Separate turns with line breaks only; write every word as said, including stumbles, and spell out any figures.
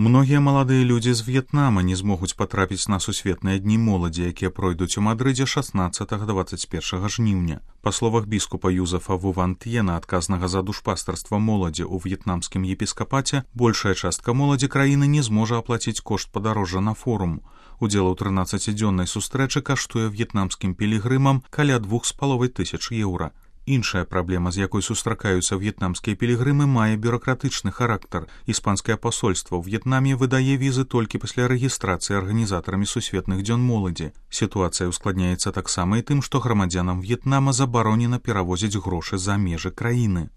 Многія маладыя людзі з В'етнама не змогуць патрапіць на сусветныя дні моладзі, якія пройдуць у Мадрыдзе шаснаццатага - дваццаць першага жніўня. Па словах біскупа Юзефа Вувант'ена, адказнага за душпастарства моладзі ў в'етнамскім епіскапаце, большая частка моладзі краіны не зможа аплаціць кошт падарожжа на форум. Удзел у трынаццацідзённай сустрэчы каштуе в'етнамскім пілігрымам каля двух з паловай тысяч еўра. Іншая праблема, з якой сустракаюцца в'етнамскія пілігрымы, мае бюракратычны характар. Іспанскае пасольства ў В'етнаме выдае візы толькі пасля рэгістрацыі арганізатарамі сусветных дзён моладзі. Сітуацыя ускладняецца таксама і тым, што грамадзянам В'етнама забаронена перавозіць грошы за межы краіны.